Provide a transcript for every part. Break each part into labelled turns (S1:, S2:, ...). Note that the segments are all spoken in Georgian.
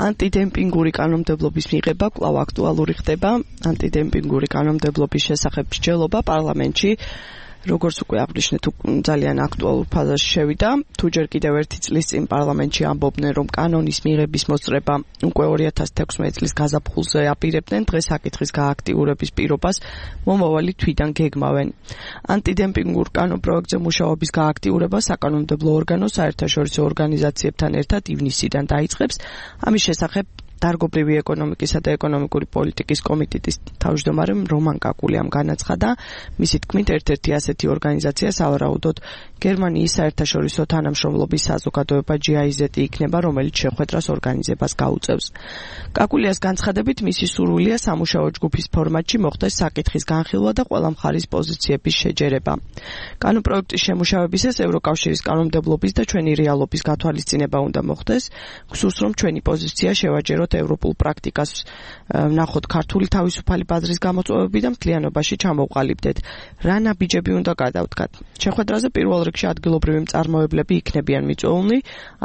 S1: ანტიდემპინგური კანონმდებლობის მიღება კვლავ აქტუალური ხდება. ანტიდემპინგური კანონმდებლობის შესახებ მსჯელობა პარლამენტში როგორც უკვე აღნიშნეთ, ძალიან აქტუალურ ფაზაში შევიდა. თუ ჯერ კიდევ ერთი წლის წინ პარლამენტში ამბობდნენ, რომ კანონის მიღების მოსწრება უკვე 2016 წლის გაზაფხულზე აპირებდნენ, დღეს საკითხის გააქტიურების პირობას მომავალი თვიდან გეგმავენ. ანტიდემპინგურ კანონპროექტზე მუშაობის გააქტიურება საკანონმდებლო ორგანოს საერთაშორისო ორგანიზაციებთან ერთად ივნისიდან დაიწყებს. ამის შესახებ დარგობრივი ეკონომიკისა და ეკონომიკური პოლიტიკის კომიტეტის თავმჯდომარემ რომან კაკულიამ განაცხადა, მისი თქმით, ერთ-ერთი ასეთი ორგანიზაცია სავარაუდოდ გერმანიის საერთაშორისო თანამშრომლობის საზოგადოება GIZ იქნება, რომელიც შეხვედრას ორგანიზებას გაუწევს. კაკულიას განცხადებით, მისი სურვილია სამუშაო ჯგუფის ფორმატში მოხდეს საკითხის განხილვა და ყველა მხარის პოზიციების შეჯერება. კანონპროექტის შემუშავებისას ევროკავშირის კანონმდებლობის და ჩვენი რეალობის გათვალისწინება უნდა მოხდეს. გსურს, რომ ჩვენი პოზიცია შევაჯეროთ ევროპულ პრაქტიკას ვნახოთ ქართული თავისუფალი ბაზრის გამოწვევები და მთლიანობაში ჩამოვყალიბდეთ. რა ნაბიჯები უნდა გადავდგათ? შეხვედრაზე პირველ რიგში ადგილობრივი მწარმოებლები იქნებიან მიწვეულნი,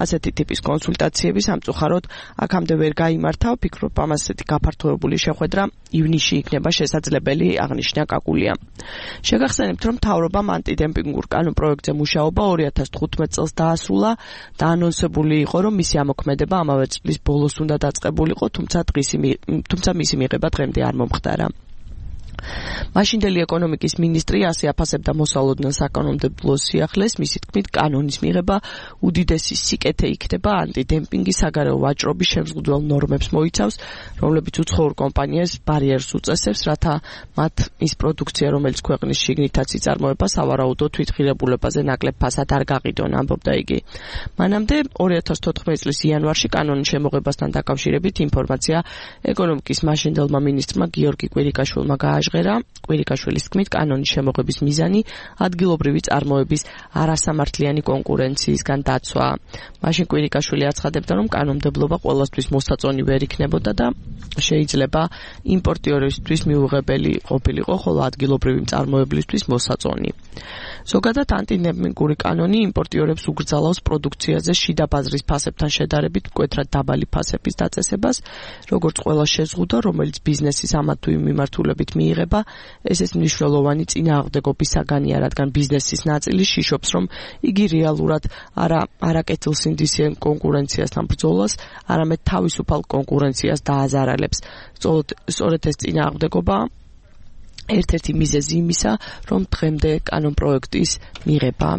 S1: ასეთი ტიპის კონსულტაციები სამწუხაროდ აქამდე ვერ გაიმართა, ვფიქრობ, ამასეთი გაფართოებული შეხვედრა ივნისში იქნება შესაძლებელი, აღნიშნა კაკულიამ. შეგახსენებთ, რომ მთავრობამ ანტიდემპინგურ კანონპროექტზე მუშაობა 2015 წელს დაასრულა და ანონსებული იყო, რომ მისი ამოქმედება ამავე წლის ბოლოს უნდა დაწყებულიყო, თუმცა მისი მიღება დღემდე არ მომხდარა. მაშინდელი ეკონომიკის მინისტრი ასე აფასებდა მოსალოდნელ საკანონმდებლო სიახლეს, მისი თქმით, კანონის მიღება უდიდესი სიკეთე იქნება ანტიდემპინგის საგარეო ვაჭრობის შემზღუდველ ნორმებს მოიცავს, რომლებიც უცხოურ კომპანიას ბარიერს უწესებს, რათა მათ ის პროდუქცია, რომელიც ქვეყნის შიგნითაც იწარმოება, სავარაუდო თვითღირებულებაზე ნაკლებ ფასად არ გაყიდონ, ამბობდა იგი. მანამდე 2014 წლის იანვარში კანონის შემოღებასთან დაკავშირებით ინფორმაცია ეკონომიკის მაშინდელმა მინისტრმა გიორგი კვირიკაშვილმა გააჟღერა. კვირიკაშვილის თქმით, კანონის შემოღების მიზანი ადგილობრივი წარმოების არასამართლიანი კონკურენციისგან დაცვა. მაშინ კვირიკაშვილი აცხადებდა, რომ კანონმდებლობა ყველასთვის მოსაწონი ვერ იქნებოდა და შეიძლება იმპორტიორებისთვის მიუღებელი ყოფილიყო, ხოლო ადგილობრივი მწარმოებლისთვის მოსაწონი. ზოგადად ანტიდემპინგური კანონი იმპორტიორებს უგრძალავს პროდუქციაზე შიდა ბაზრის ფასებთან შედარებით მკვეთრად დაბალი ფასების დაწესებას, როგორც ყველა შეზღუდვა, რომელიც ბიზნესის ამა თუ იმ მიმართულებით მიიღება, ეს მნიშვნელოვანი წინააღმდეგობის საგანია, რადგან ბიზნესის ნაწილი შიშობს, რომ იგი რეალურად არა კეთილსინდისიან კონკურენციასთან ბრძოლას, არამედ თავისუფალ კონკურენციას დააზარალებს. სწორედ ეს წინააღმდეგობა ერთ-ერთი მიზეზი იმისა, რომ დღემდე კანონპროექტის მიღება